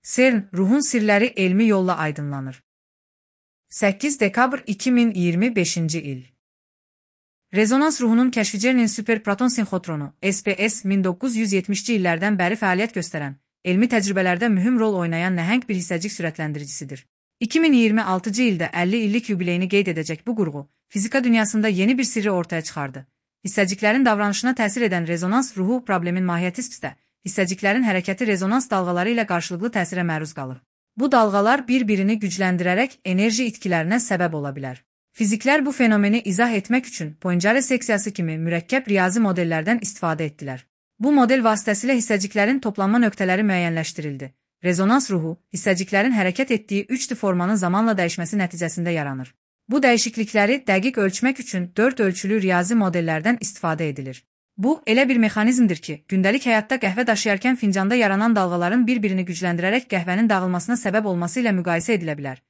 CERN, ruhun sirləri elmi yolla aydınlanır. 8 dekabr 2025-ci il. Rezonans ruhunun kəşfi CERN-in superproton sinxotronu, SPS 1970-ci illərdən bəri fəaliyyət göstərən, elmi təcrübələrdə mühüm rol oynayan nəhəng bir hissəcik sürətləndiricisidir. 2026-cı ildə 50 illik yubileyini qeyd edəcək bu qurğu, fizika dünyasında yeni bir sirri ortaya çıxardı. Hissəciklərin davranışına təsir edən rezonans ruhu problemin mahiyyəti spsdə, hissəciklərin hərəkəti rezonans dalğaları ilə qarşılıqlı təsirə məruz qalır. Bu dalğalar bir-birini gücləndirərək enerji itkilərinə səbəb ola bilər. Fiziklər bu fenomeni izah etmək üçün Poincaré seksiyası kimi mürəkkəb riyazi modellərdən istifadə etdilər. Bu model vasitəsilə hissəciklərin toplanma nöqtələri müəyyənləşdirildi. Rezonans ruhu, hissəciklərin hərəkət etdiyi 3D formanın zamanla dəyişməsi nəticəsində yaranır. Bu dəyişiklikləri dəqiq ölçmək üçün 4 ölçülü riyazi modellərdən istifadə edilir. Bu, elə bir mexanizmdir ki, gündəlik həyatda qəhvə daşıyarkən fincanda yaranan dalğaların bir-birini gücləndirərək qəhvənin dağılmasına səbəb olması ilə müqayisə edilə bilər.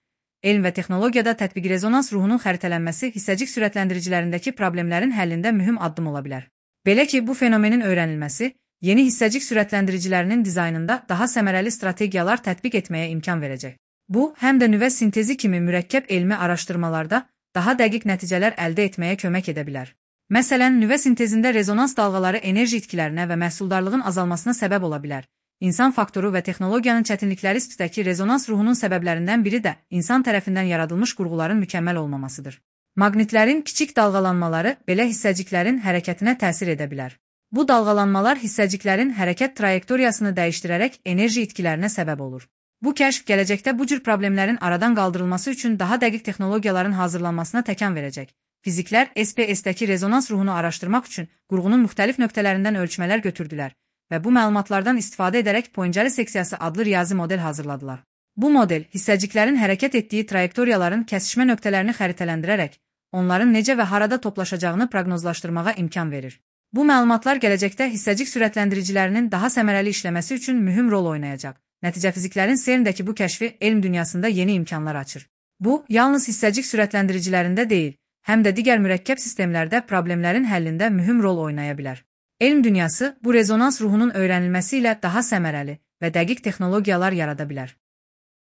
Elm və texnologiyada tətbiqi rezonans ruhunun xəritələnməsi hissəcik sürətləndiricilərindəki problemlərin həllində mühüm addım ola bilər. Belə ki, bu fenomenin öyrənilməsi, yeni hissəcik sürətləndiricilərinin dizaynında daha səmərəli strategiyalar tətbiq etməyə imkan verəcək. Bu, həm də nüvə sintezi kimi mürəkkəb elmi araşdırmalarda daha dəqiq nəticələr əldə etməyə kömək edə bilər. Məsələn, nüvə sintezində rezonans dalğaları enerji itkilərinə və məhsuldarlığın azalmasına səbəb ola bilər. İnsan faktoru və texnologiyanın çətinlikləri spsdəki rezonans ruhunun səbəblərindən biri də insan tərəfindən yaradılmış qurğuların mükəmməl olmamasıdır. Maqnitlərin kiçik dalğalanmaları belə hissəciklərin hərəkətinə təsir edə bilər. Bu dalğalanmalar hissəciklərin hərəkət trayektoriyasını dəyişdirərək enerji itkilərinə səbəb olur. Bu kəşf gələcəkdə bu cür problemlərin aradan qaldırılması üçün daha dəqiq texnologiyaların hazırlanmasına təkan verəcək. Fiziklər SPS-dəki rezonans ruhunu araşdırmaq üçün qurğunun müxtəlif nöqtələrindən ölçmələr götürdülər və bu məlumatlardan istifadə edərək Poincaré seksiyası adlı riyazi model hazırladılar. Bu model hissəciklərin hərəkət etdiyi trayektoriyaların kəsişmə nöqtələrini xəritələndirərək, onların necə və harada toplaşacağını proqnozlaşdırmağa imkan verir. Bu məlumatlar gələcəkdə hissəcik sürətləndiricilərinin daha səmərəli işləməsi üçün mühüm rol oynayacaq. Nəticə fiziklərin CERN-dəki bu kəşfi elm dünyasında yeni imkanlar açır. Bu, yalnız hissəcik sürətləndiricilərində deyil, həm də digər mürəkkəb sistemlərdə problemlərin həllində mühüm rol oynaya bilər. Elm dünyası bu rezonans ruhunun öyrənilməsi ilə daha səmərəli və dəqiq texnologiyalar yarada bilər.